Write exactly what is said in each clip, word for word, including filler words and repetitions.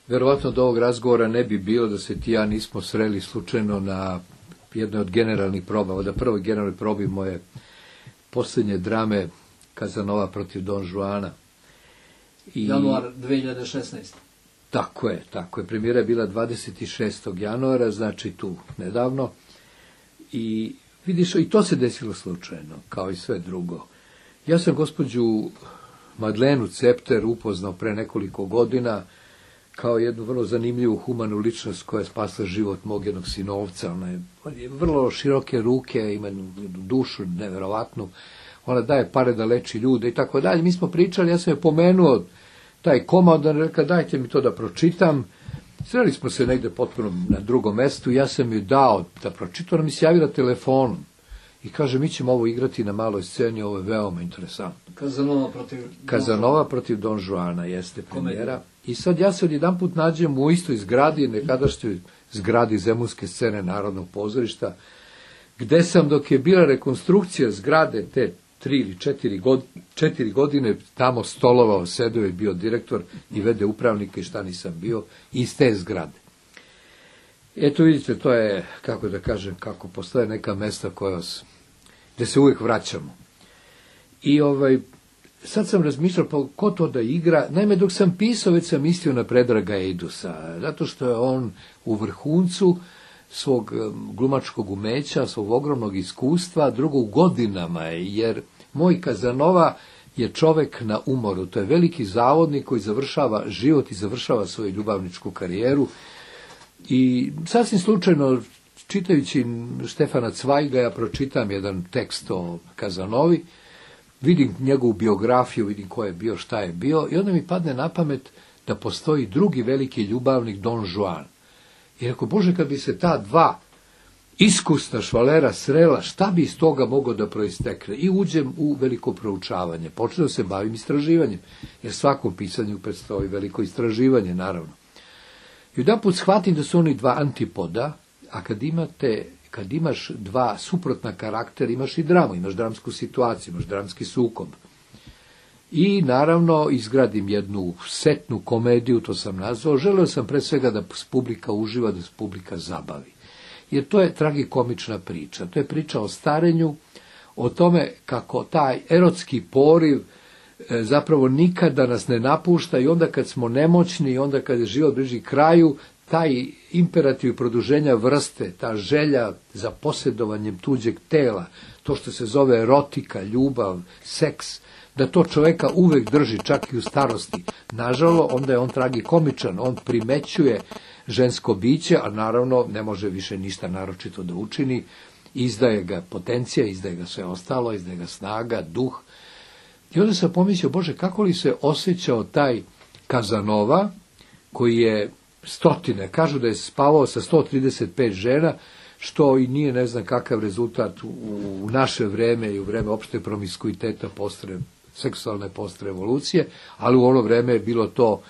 Verovatno do ovog razgovora ne bi bilo da se ti ja nismo sreli slučajno na jednoj od generalnih proba. Od prvoj generalnoj probi moje posljednje drame Kazanova protiv Don Juana. I januar dve hiljade šesnaeste. Tako je, tako je. Premijera je bila dvadeset šestog januara, znači tu nedavno. I vidiš, i to se desilo slučajno, kao i sve drugo. Ja sam gospođu Madlenu Cepter upoznao pre nekoliko godina kao jednu vrlo zanimljivu humanu ličnost koja je spasla život mog jednog sinovca. Ona je, ona je vrlo široke ruke, ima dušu neverovatnu, ona daje pare da leči ljude i tako dalje. Mi smo pričali, ja sam je pomenuo taj komad, ona rekla dajte mi to da pročitam. Sreli smo se negde potpuno na drugom mestu, ja sam ju dao da pročitam, ona mi se javila telefonom i kaže mi ćemo ovo igrati na maloj sceni, ovo je veoma interesantno. Kazanova protiv Kazanova protiv Don Juana jeste premijera. I sad ja se odjedan put nađem u istoj zgradi, nekadašnjoj zgradi Zemunske scene Narodnog pozorišta, gde sam dok je bila rekonstrukcija zgrade te tri ili četiri, god, četiri godine tamo stolovao, sedeo je bio direktor i vede upravnika i šta nisam bio iz te zgrade. Eto vidite, to je, kako da kažem, kako postoje neka mesta koja vas, gde se uvijek vraćamo. I ovaj, sad sam razmišljao, pa ko to da igra? Naime, dok sam pisao, već sam mislio na Predraga Eidusa, zato što je on u vrhuncu svog glumačkog umeća, svog ogromnog iskustva, drugo u godinama je, jer moj Kazanova je čovek na umoru. To je veliki zavodnik koji završava život i završava svoju ljubavničku karijeru. I sasvim slučajno, čitajući Štefana Cvajga, ja pročitam jedan tekst o Kazanovi, vidim njegovu biografiju, vidim ko je bio, šta je bio, i onda mi padne na pamet da postoji drugi veliki ljubavnik, Don Juan. I rekao, Bože, kad bi se ta dva iskusna švalera srela, šta bi iz toga moglo da proistekne? I uđem u veliko proučavanje. Počeo se bavim istraživanjem, jer svakom pisanju predstoji veliko istraživanje, naravno. I jedan put shvatim da su oni dva antipoda, a kad imate, kad imaš dva suprotna karaktera, imaš i dramu, imaš dramsku situaciju, imaš dramski sukob. I naravno izgradim jednu setnu komediju, to sam nazvao, želeo sam pre svega da publika uživa, da publika zabavi. Jer to je tragikomična priča, to je priča o starenju, o tome kako taj erotski poriv e, zapravo nikada nas ne napušta i onda kad smo nemoćni i onda kad je život bliži kraju, taj imperativ produženja vrste, ta želja za posjedovanjem tuđeg tela, to što se zove erotika, ljubav, seks, da to čoveka uvek drži, čak i u starosti. Nažalost, onda je on tragikomičan, on primećuje žensko biće, a naravno ne može više ništa naročito da učini, izdaje ga potencija, izdaje ga sve ostalo, izdaje ga snaga, duh. I onda sam pomislio, Bože, kako li se osjećao taj Kazanova, koji je stotine, kažu da je spavao sa sto trideset pet žena, što i nije ne znam kakav rezultat u, u naše vreme i u vreme opšte promiskuiteta postre, seksualne postrevolucije, ali u ono vreme je bilo to,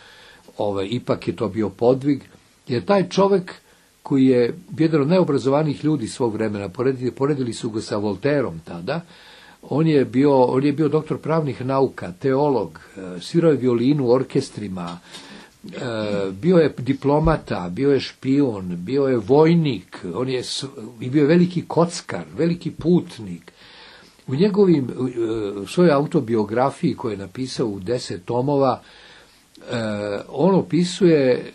ovaj, ipak je to bio podvig, jer taj čovek koji je jedan od najobrazovanijih ljudi svog vremena, poredili, poredili su ga sa Voltairom tada, on je bio, on je bio doktor pravnih nauka, teolog, svirao je violinu u orkestrima, bio je diplomata, bio je špijun, bio je vojnik, on je i bio je veliki kockar, veliki putnik. U njegovim, u svojoj autobiografiji koju je napisao u deset tomova, on opisuje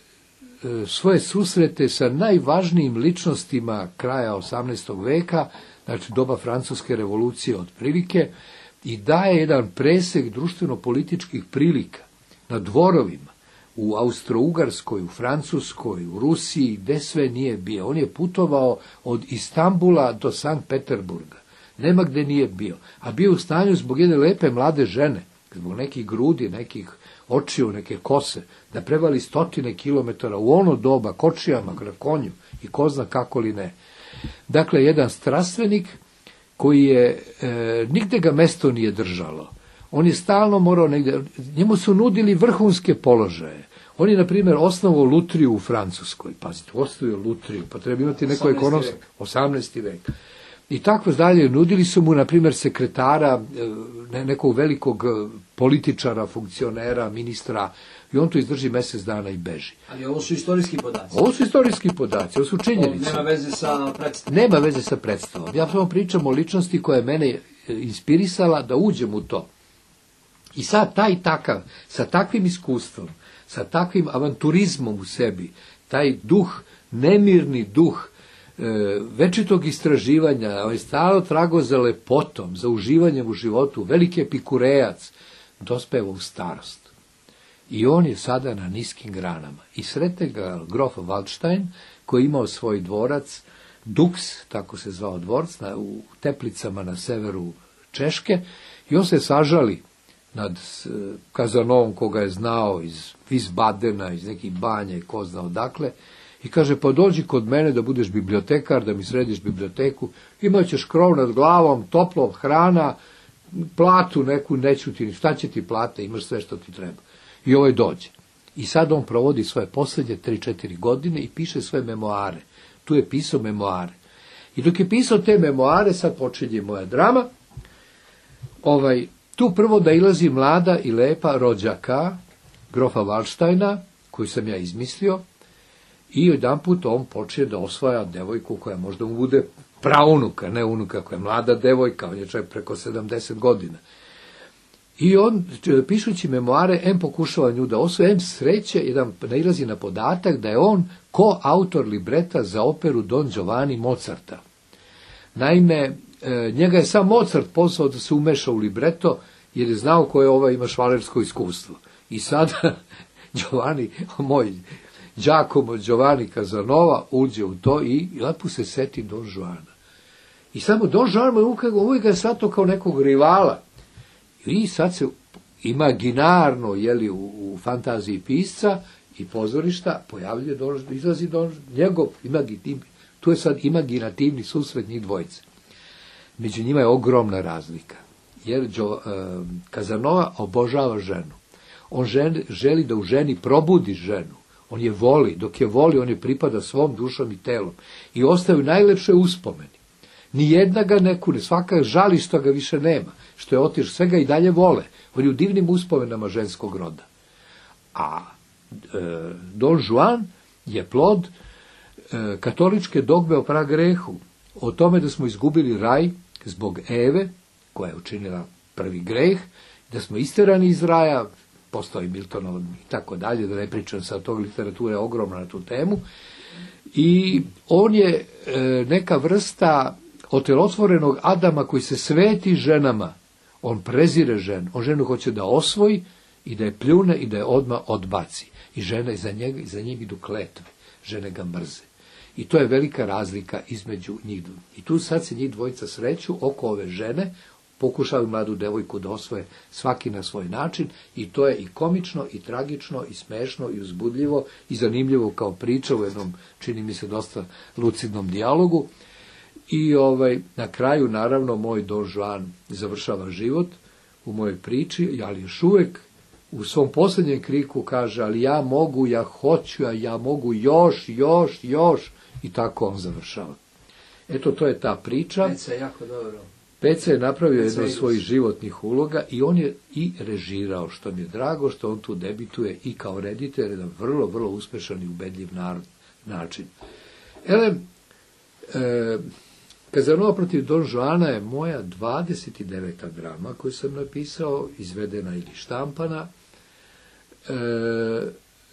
svoje susrete sa najvažnijim ličnostima kraja osamnaestog veka, znači doba Francuske revolucije otprilike, i daje jedan presek društveno-političkih prilika na dvorovima, u Austro-Ugarskoj, u Francuskoj, u Rusiji, gde sve nije bio. On je putovao od Istambula do Sankt Peterburga. Nema gde nije bio. A bio u stanju zbog jedne lepe mlade žene, zbog nekih grudi, nekih očiju, neke kose, da prevali stotine kilometara u ono doba kočijama, na konju i ko zna kako li ne. Dakle, jedan strastvenik koji je, e, nigde ga mesto nije držalo. On je stalno morao negde, njemu su nudili vrhunske položaje. On je, na primjer, osnovao lutriju u Francuskoj. Pazite, osnovio lutriju, pa treba imati neko ekonomsko, osamnaesti vek. I tako dalje. Nudili su mu, na primjer, sekretara, nekog velikog političara, funkcionera, ministra, i on tu izdrži mjesec dana i beži. Ali ovo su istorijski podaci. Ovo su istorijski podaci, ovo su činjenice. Nema veze sa predstavom. Nema veze sa predstavom. Ja samo pričam o ličnosti koja je mene inspirisala da uđem u to. I sad taj takav, sa takvim iskustvom, sa takvim avanturizmom u sebi, taj duh, nemirni duh, večitog istraživanja, ovaj stalo trago za lepotom, za uživanjem u životu, veliki epikurejac, dospeva u starost. I on je sada na niskim granama. I sretne ga grof Waldstein, koji je imao svoj dvorac, Dux, tako se zvao dvorac, na, u Teplicama na severu Češke, i on se sažali nad Kazanovom, koga je znao iz Wiesbadena, iz nekih banja i ko zna odakle, i kaže, pa dođi kod mene da budeš bibliotekar, da mi središ biblioteku, imat ćeš krov nad glavom, toplo, hrana, platu neku, neću ti, šta će ti plate, imaš sve što ti treba. I ovaj dođe. I sad on provodi svoje posljednje tri četiri godine i piše svoje memoare. Tu je pisao memoare. I dok je pisao te memoare, sad počinje moja drama, ovaj, tu prvo da ilazi mlada i lepa rođaka, grofa Waldsteina, koju sam ja izmislio, i jedan put on počne da osvaja devojku koja možda mu bude praunuka, ne unuka, koja je mlada devojka, on je čak preko sedamdeset godina. I on, pišući memoare, em pokušava nju da osvoje, em sreće, jedan nailazi na podatak da je on koautor libreta za operu Don Giovanni Mozarta. Naime, njega je sam Mozart pozvao da se umeša u libreto, jer je znao koje ova ima švalersko iskustvo. I sada Giovanni, moj Giacomo Giovanni Casanova, uđe u to i lepo se seti Don Juana. I samo Don Juan uvijek ga je shvatio kao nekog rivala. I sad se imaginarno, jeli, u, u fantaziji pisca i pozorišta pojavljuje, Don, izlazi Don, njegov imaginativni, tu je sad imaginativni susret njih dvojice. Među njima je ogromna razlika, jer Gio, eh, Casanova obožava ženu. On žen, želi da u ženi probudi ženu. On je voli, dok je voli, on je pripada svom dušom i telom. I ostaju najlepše uspomeni. Nijedna ga ne kune, svaka žali što ga više nema, što je otišao, sve ga i dalje vole. On je u divnim uspomenama ženskog roda. A e, Don Juan je plod e, katoličke dogme o pragrehu, o tome da smo izgubili raj zbog Eve, koja je učinila prvi greh, da smo isterani iz raja, postao i Miltonov i tako dalje, da ne pričam sad, tog literatura je ogromna na tu temu, i on je e, neka vrsta otelotvorenog Adama koji se sveti ženama. On prezire ženu, on ženu hoće da osvoji i da je pljune i da je odmah odbaci. I žene za njega, za njih idu kletve, žene ga mrze. I to je velika razlika između njih. I tu sad se njih dvojica sreću oko ove žene, pokušavaju mladu devojku da osvoje svaki na svoj način, i to je i komično, i tragično, i smešno, i uzbudljivo, i zanimljivo kao priča u jednom, čini mi se, dosta lucidnom dijalogu. I ovaj, na kraju, naravno, moj Don Juan završava život u mojoj priči, ali još uvijek u svom posljednjem kriku kaže, ali ja mogu, ja hoću, a ja mogu još, još, još, i tako on završava. Eto, to je ta priča. Peca je jako dobro. Peca je napravio jedno od svojih životnih uloga i on je i režirao, što mi je drago, što on tu debituje i kao reditelj, jedan vrlo, vrlo uspešan i ubedljiv narod, način. Ele, e, Casanova protiv Don Juana je moja dvadeset deveta drama koju sam napisao, izvedena ili štampana. E,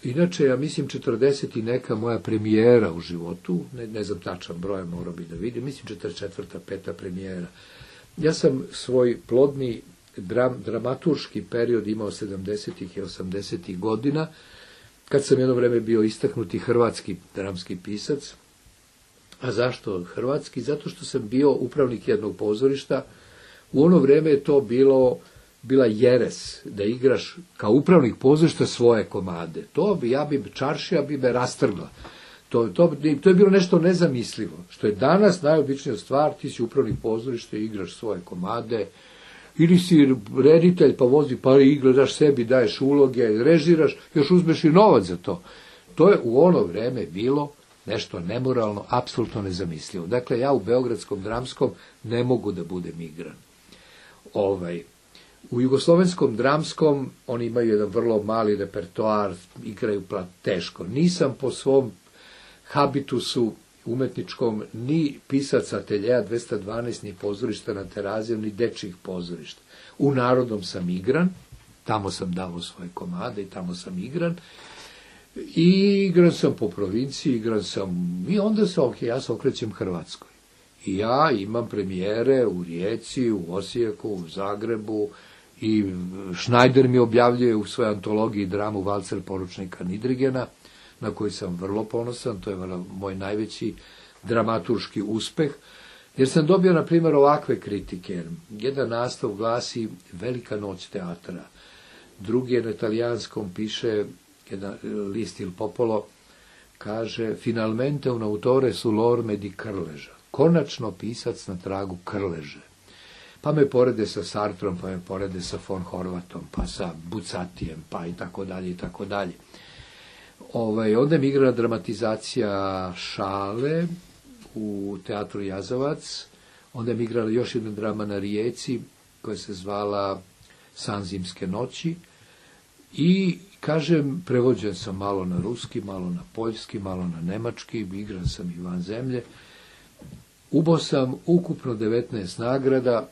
inače, ja mislim četrdeset i neka moja premijera u životu, ne, ne znam tačan broj, morao bi da vidim, mislim četrdeset četvrta, peta premijera. Ja sam svoj plodni dram, dramaturški period imao sedamdesetih i osamdesetih godina, kad sam jedno vreme bio istaknuti hrvatski dramski pisac. A zašto hrvatski? Zato što sam bio upravnik jednog pozorišta. U ono vrijeme je to bilo, bila jeres, da igraš kao upravnik pozorišta svoje komade. To bi, ja bi, čaršija bi me rastrgla. To, to, to je bilo nešto nezamislivo. Što je danas najobičnija stvar, ti si upravnik pozorišta i igraš svoje komade, ili si reditelj pa vozi, pa igraš sebi, daješ uloge, režiraš, još uzmeš i novac za to. To je u ono vrijeme bilo nešto nemoralno, apsolutno nezamislivo. Dakle, ja u Beogradskom dramskom ne mogu da budem igran. Ovaj, u Jugoslovenskom dramskom oni imaju jedan vrlo mali repertoar, igraju teško. Nisam po svom habitusu umetničkom ni pisac ateljeja dvesta dvanaest, ni pozorišta na Terazijom, ni dečjih pozorišta. U Narodnom sam igran, tamo sam dao svoje komade i tamo sam igran. I igran sam po provinciji, igran sam, i onda se, ok, ja se okrećem Hrvatskoj. I ja imam premijere u Rijeci, u Osijeku, u Zagrebu, i Šnajder mi objavljuje u svojoj antologiji dramu Valcer poručnika Nidrigena, na koji sam vrlo ponosan, to je moj najveći dramaturški uspeh, jer sam dobio, na primjer, ovakve kritike. Jedan naslov glasi Velika noć teatra, drugi je na italijanskom, piše jedan list Il Popolo, kaže Finalmente un autore sull'orme di Krleža, konačno pisac na tragu Krleže. Pa me porede sa Sartrom, pa me porede sa von Horvatom, pa sa Bucatijem, pa i tako dalje, i tako dalje. Ovaj, onda mi igra dramatizacija Šale u teatru Jazavac, onda mi igrala još jedna drama na Rijeci, koja se zvala San zimske noći, i, kažem, prevođen sam malo na ruski, malo na poljski, malo na nemački, igran sam i van zemlje. Ubo sam ukupno devetnaest nagrada,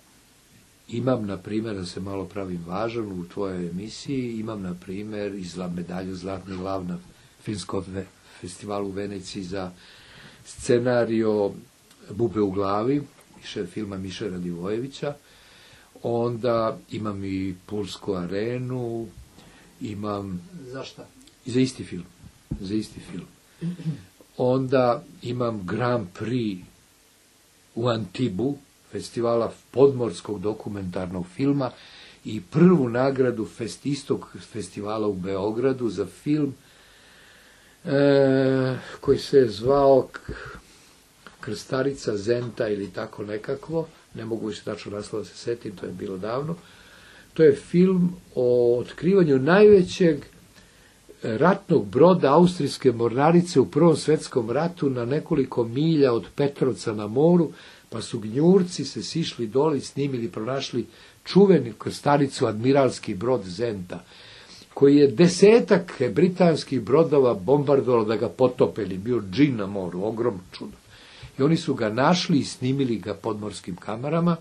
imam, na primjer, da se malo pravim važan u tvojoj emisiji, imam, na primjer, izla medalju Zlatni lav na Filmskom festivalu u Veneciji za scenario Bube u glavi, filma Miše Radivojevića, onda imam i Pulsku arenu, imam... Za šta? Za isti film. Za isti film. Onda imam Grand Prix u Antibu, festivala podmorskog dokumentarnog filma, i prvu nagradu fest, istog festivala u Beogradu za film e, koji se je zvao Krstarica Zenta ili tako nekakvo, ne mogu više tačno naslova da se setim, to je bilo davno. To je film o otkrivanju najvećeg ratnog broda austrijske mornarice u Prvom svetskom ratu na nekoliko milja od Petrovca na moru, pa su gnjurci se sišli dole i snimili, pronašli čuvenu krstaricu, admiralski brod Zenta, koji je desetak britanskih brodova bombardovalo da ga potope, ili bio džin na moru, ogromno čudo. I oni su ga našli i snimili ga podmorskim kamerama.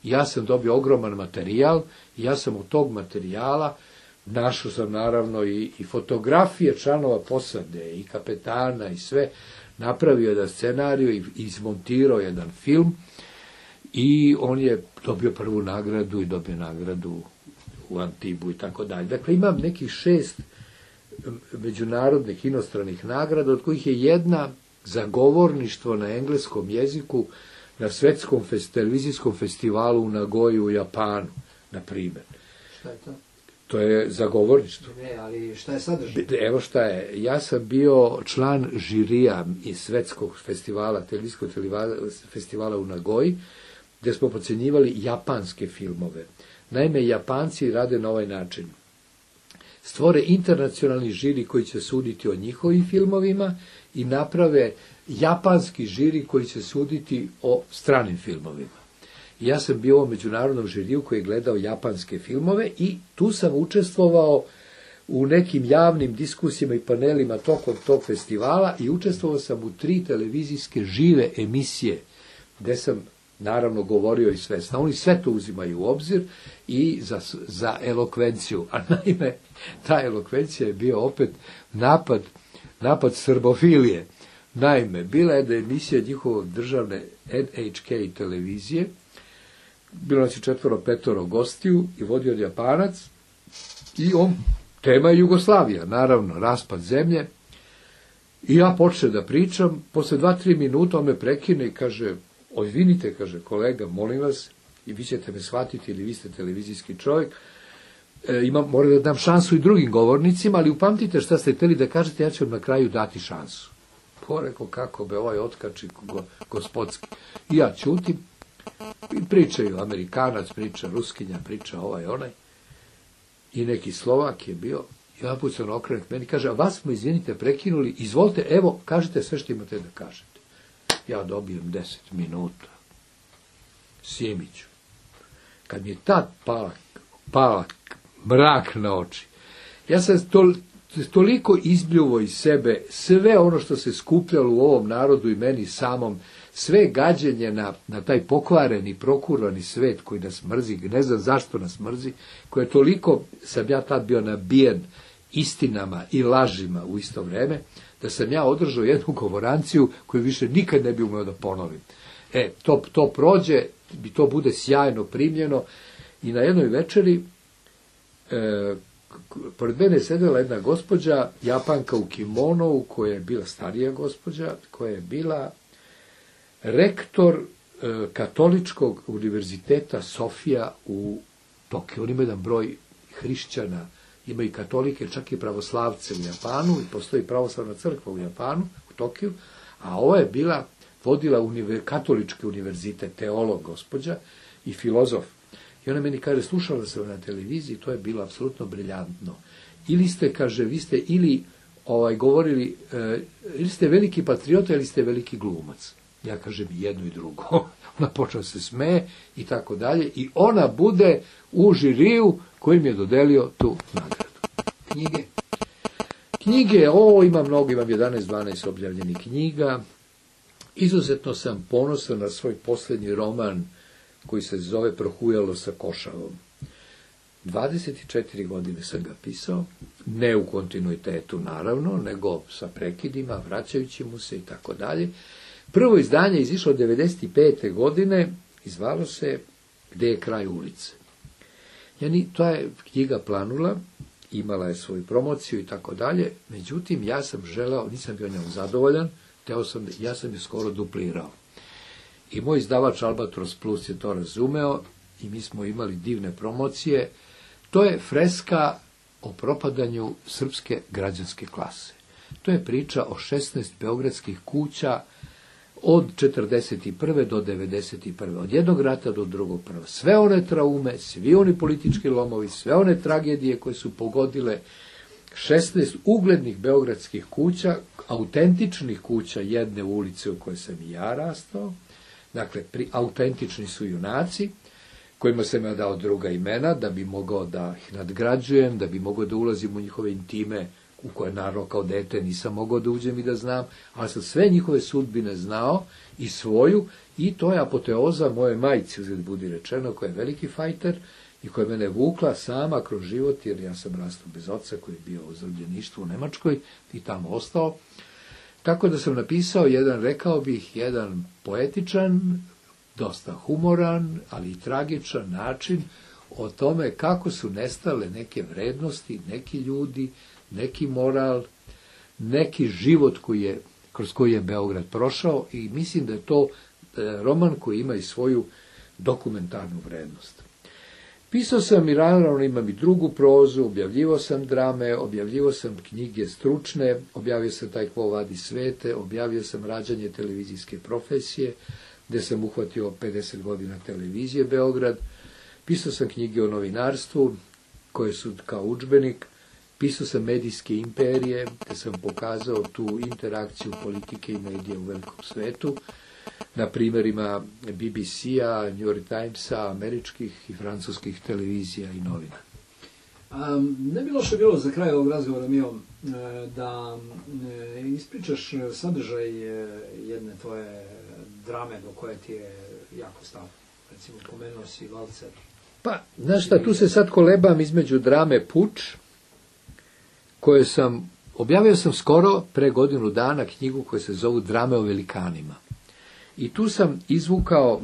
Ja sam dobio ogroman materijal, i ja sam od tog materijala našao sam naravno i, i fotografije članova posade, i kapetana, i sve, napravio jedan scenariju i izmontirao jedan film, i on je dobio prvu nagradu i dobio nagradu u Antibu i tako dalje. Dakle, imam nekih šest međunarodnih inostranih nagrada, od kojih je jedna za govorništvo na engleskom jeziku na svetskom fest, televizijskom festivalu u Nagoji u Japanu, na primjer. Šta je to? To je za govorništvo. Ne, ali šta je sadržaj? Evo šta je. Ja sam bio član žirija iz svetskog festivala, televizijskog festivala u Nagoji, gdje smo procenjivali japanske filmove. Naime, Japanci rade na ovaj način. Stvore internacionalni žiri koji će suditi o njihovim filmovima i naprave japanski žiri koji će suditi o stranim filmovima. Ja sam bio u međunarodnom žiriju koji je gledao japanske filmove i tu sam učestvovao u nekim javnim diskusijama i panelima tokom tog festivala i učestvovao sam u tri televizijske žive emisije gdje sam naravno govorio i sve. Oni sve to uzimaju u obzir i za, za elokvenciju. A naime, ta elokvencija je bio opet napad, napad srbofilije. Naime, bila je da emisija njihove državne N H K televizije, bilo nas je četvoro, petoro gostiju i vodio od Japanac i on, tema je Jugoslavija, naravno, raspad zemlje. I ja počnem da pričam, posle dva, tri minuta on me prekine i kaže, izvinite, kaže, kolega, molim vas, i vi ćete me shvatiti ili vi ste televizijski čovjek, e, imam, moram da dam šansu i drugim govornicima, ali upamtite šta ste htjeli da kažete, ja ću vam na kraju dati šansu. Poreko, kako be, ovaj otkači go, gospodski. I ja ćutim, i pričaju, Amerikanac priča, Ruskinja priča, ovaj, onaj, i neki Slovak je bio, I jedan put se on okrene k meni, kaže, a vas smo, izvinite, prekinuli, izvolite, evo, kažite sve što imate da kažete. Ja dobijem deset minuta. Simiću. Kad mi je tad pala, pala mrak na oči, ja sam to, toliko izbljuvo iz sebe sve ono što se skupljalo u ovom narodu i meni samom, sve gađenje na, na taj pokvareni, prokurvani svet koji nas mrzi, ne znam zašto nas mrzi, koje toliko sam ja tad bio nabijen istinama i lažima u isto vreme, da sam ja održao jednu govoranciju koju više nikad ne bi umeo da ponovim. E, to, to prođe, to bude sjajno primljeno i na jednoj večeri e, pored mene je sedela jedna gospođa, Japanka u kimonou, koja je bila starija gospođa, koja je bila rektor e, katoličkog univerziteta Sofija u Tokiju. On ima jedan broj hrišćana, ima i katolike, čak i pravoslavce u Japanu, i postoji pravoslavna crkva u Japanu, u Tokiju, a ova je bila, vodila univer, katolički univerzitet, teolog gospođa i filozof. I ona meni kaže, slušala sam na televiziji, to je bilo apsolutno briljantno. Ili ste, kaže, vi ste ili ovaj, govorili, e, ili ste veliki patriota, ili ste veliki glumac. Ja kažem jedno i drugo. Ona počela se smeje i tako dalje. I ona bude u žiriju kojim je dodelio tu nagradu. Knjige? Knjige, o, imam mnogo, imam jedanaest dvanaest objavljenih knjiga. Izuzetno sam ponosan na svoj posljednji roman koji se zove Prohujalo sa košavom. dvadeset četiri godine sam ga pisao, ne u kontinuitetu naravno, nego sa prekidima, vraćajući mu se i tako dalje. Prvo izdanje je izišlo devedeset pete godine i zvalo se Gde je kraj ulice. Yani, to je knjiga planula, imala je svoju promociju i tako dalje, međutim ja sam želeo, nisam bio njom zadovoljan, teo sam, ja sam je skoro duplirao. I moj izdavač Albatros Plus je to razumeo i mi smo imali divne promocije. To je freska o propadanju srpske građanske klase. To je priča o šesnaest beogradskih kuća od četrdeset prve do devedeset prve Od jednog rata do drugog prva. Sve one traume, svi oni politički lomovi, sve one tragedije koje su pogodile šesnaest uglednih beogradskih kuća, autentičnih kuća jedne ulice u kojoj sam i ja rastao. Dakle, pri, autentični su junaci, kojima sam ja dao druga imena, da bi mogao da ih nadgrađujem, da bi mogao da ulazim u njihove intime, u koje naravno kao dete nisam mogao da uđem i da znam, ali sam sve njihove sudbine znao i svoju, i to je apoteoza moje majci, uzgled budi rečeno, koja je veliki fajter i koja je mene vukla sama kroz život, jer ja sam rastao bez oca koji je bio u zarobljeništvu u Nemačkoj i tamo ostao. Tako da sam napisao jedan, rekao bih, jedan poetičan, dosta humoran, ali i tragičan način o tome kako su nestale neke vrednosti, neki ljudi, neki moral, neki život koji je, kroz koji je Beograd prošao, i mislim da je to roman koji ima i svoju dokumentarnu vrednost. Pisao sam i naravno imam i drugu prozu, objavljivo sam drame, objavljivo sam knjige stručne, objavio sam Taj ko vadi svete, objavio sam Rađanje televizijske profesije, gde sam uhvatio pedeset godina televizije Beograd. Pisao sam knjige o novinarstvu, koje su kao udžbenik. Pisao sam Medijske imperije, gde sam pokazao tu interakciju politike i medija u velikom svetu, na primjerima B B C-a, New York Timesa, američkih i francuskih televizija i novina. Um, ne bi loše bilo za kraj ovog razgovora, Mio, da ispričaš sadržaj jedne tvoje drame do koje ti je jako stav. Recimo, pomenuo si Valcer. Pa, znaš šta, tu se sad kolebam između drame Puč, koje sam, objavio sam skoro pre godinu dana knjigu koja se zovu Drame o velikanima. I tu sam izvukao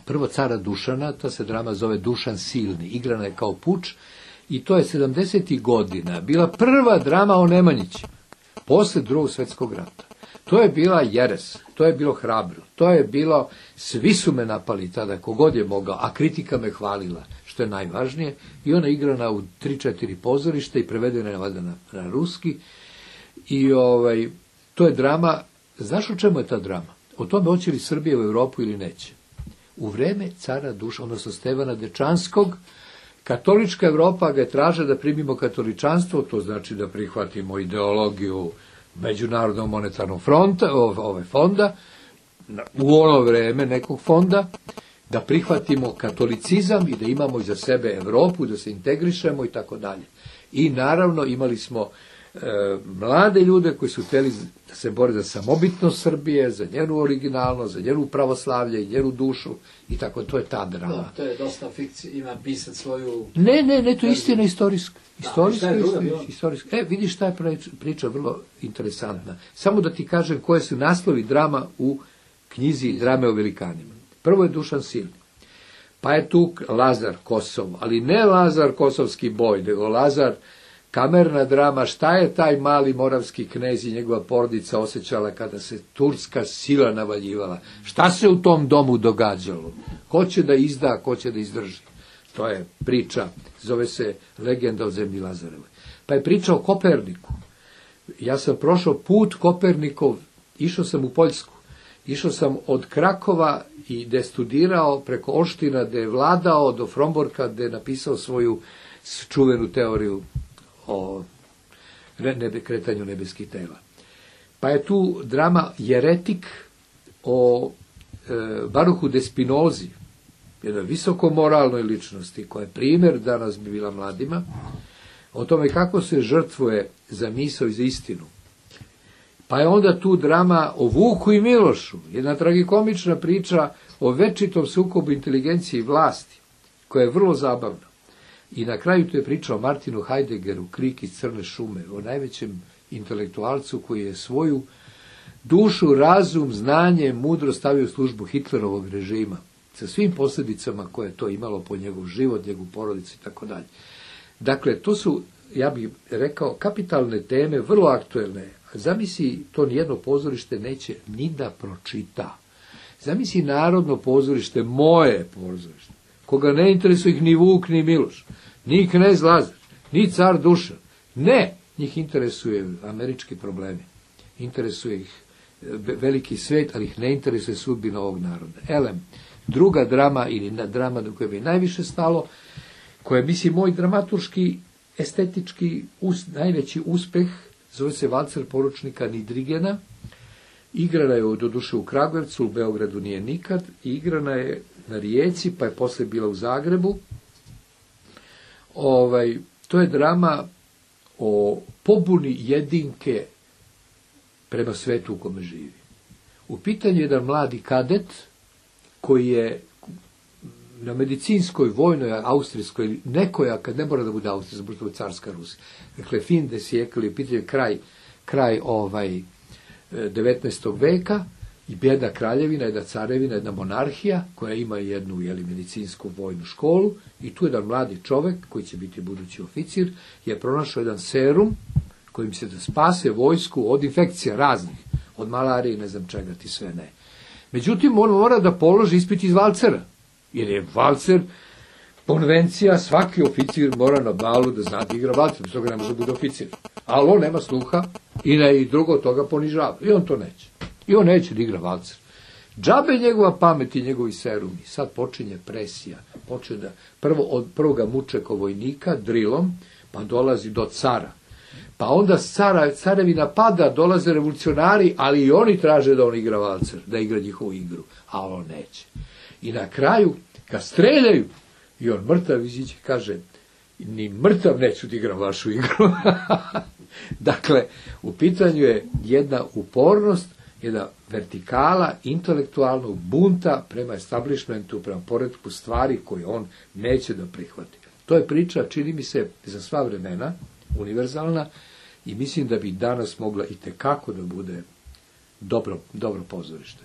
prvo cara Dušana, ta se drama zove Dušan Silni, igrana je kao Puč, i to je sedamdesetih godina bila prva drama o Nemanjićima, posle drugog svjetskog rata. To je bila jeres, to je bilo hrabro, to je bilo, svi su me napali tada, kogod je mogao, a kritika me hvalila, što je najvažnije, i ona igrana u tri četiri pozorišta i prevedena je valjda na, na ruski. I ovaj, to je drama, znaš o čemu je ta drama? O tome hoće li Srbija u Europu ili neće. U vreme cara Dušana, odnosno Stevana Dečanskog, Katolička Evropa ga traže da primimo katoličanstvo, to znači da prihvatimo ideologiju Međunarodnog monetarnog fronta, ove fonda, u ono vreme nekog fonda, da prihvatimo katolicizam i da imamo iza sebe Evropu, da se integrišemo i tako dalje. I naravno imali smo e, mlade ljude koji su hteli da se bore za samobitnost Srbije, za njenu originalnost, za njenu pravoslavlje i njenu dušu i tako, to je ta drama. No, to je dosta fikcija, ima pisat svoju... Ne, ne, ne, to je istina istorijska. Istorijska, da, istina, istorijska. E, vidiš, ta je priča vrlo interesantna. Samo da ti kažem koje su naslovi drama u knjizi Drame o velikanima. Prvo je Dušan Silni. Pa je tu Lazar Kosovo, ali ne Lazar Kosovski boj, nego Lazar, kamerna drama, šta je taj mali moravski knez i njegova porodica osjećala kada se turska sila navaljivala. Šta se u tom domu događalo? Ko će da izda, ko će da izdrži? To je priča, zove se Legenda o zemlji Lazarevoj. Pa je priča o Koperniku. Ja sam prošao put Kopernikov, išao sam u Poljsku. Išao sam od Krakova i gde je studirao preko Olština, gde je vladao, do Fromborka, gde je napisao svoju čuvenu teoriju o nebe, kretanju nebeskih tela. Pa je tu drama Jeretik o e, Baruhu de Spinozi, jednoj visoko moralnoj ličnosti, koja je primjer danas bi bila mladima, o tome kako se žrtvuje za misao i za istinu. Pa je onda tu drama o Vuku i Milošu, jedna tragikomična priča o večitom sukobu inteligencije i vlasti, koja je vrlo zabavna. I na kraju tu je priča o Martinu Heideggeru, Krik iz Crne šume, o najvećem intelektualcu koji je svoju dušu, razum, znanje, mudro stavio u službu Hitlerovog režima, sa svim posljedicama koje je to imalo po njegov život, njegovu porodicu i tako dalje. Dakle, to su, ja bih rekao, kapitalne teme, vrlo aktuelne. Zamisli, to nijedno pozorište neće ni da pročita. Zamisli Narodno pozorište, moje pozorište, koga ne interesuje ih ni Vuk, ni Miloš, ni knez Lazar, ni car Dušan. Ne, njih interesuje američki problemi. Interesuje ih veliki svet, ali ih ne interesuje sudbina ovog naroda. Elem, druga drama, ili drama do koje bi najviše stalo, koja je, mislim, moj dramaturški, estetički us, najveći uspeh, zove se Valcer poručnika Nidrigena. Igrana je doduše u Kragujevcu, u Beogradu nije nikad, i igrana je na Rijeci, pa je posle bila u Zagrebu. Ovaj, to je drama o pobuni jedinke prema svetu u kome živi. U pitanju je jedan mladi kadet koji je na medicinskoj, vojnoj, austrijskoj, nekoj, kad ne mora da bude austrijska, zato je carska Rusija. Dakle, fin de sjekli, u pitanju je kraj, kraj ovaj, devetnaestog veka i bijeda kraljevina, jedna carevina, jedna monarhija koja ima jednu jeli, medicinsku vojnu školu i tu jedan mladi čovek koji će biti budući oficir je pronašao jedan serum kojim se da spase vojsku od infekcija raznih, od malarije i ne znam čega ti sve ne. Međutim, on mora da položi ispit iz valcera, jer je valcer konvencija, svaki oficir mora na balu da zna da igra valcer, bez toga ne može da bude oficir. Ali on nema sluha i ne i drugo toga ponižava. I on to neće. I on neće da igra valcer. Džabe njegova pamet i njegovi serumi. Sad počinje presija. Počne da, prvo od prvoga muče ko vojnika, drilom, pa dolazi do cara. Pa onda cara, carevina pada, dolaze revolucionari, ali i oni traže da on igra valcer, da igra njihovu igru. A on neće. I na kraju, kad streljaju, i on mrtav iziđe, kaže, ni mrtav neću da igram vašu igru. Dakle, u pitanju je jedna upornost, jedna vertikala intelektualnog bunta prema establishmentu, prema poretku stvari koje on neće da prihvati. To je priča, čini mi se, za sva vremena, univerzalna, i mislim da bi danas mogla i tekako da bude dobro, dobro pozorište.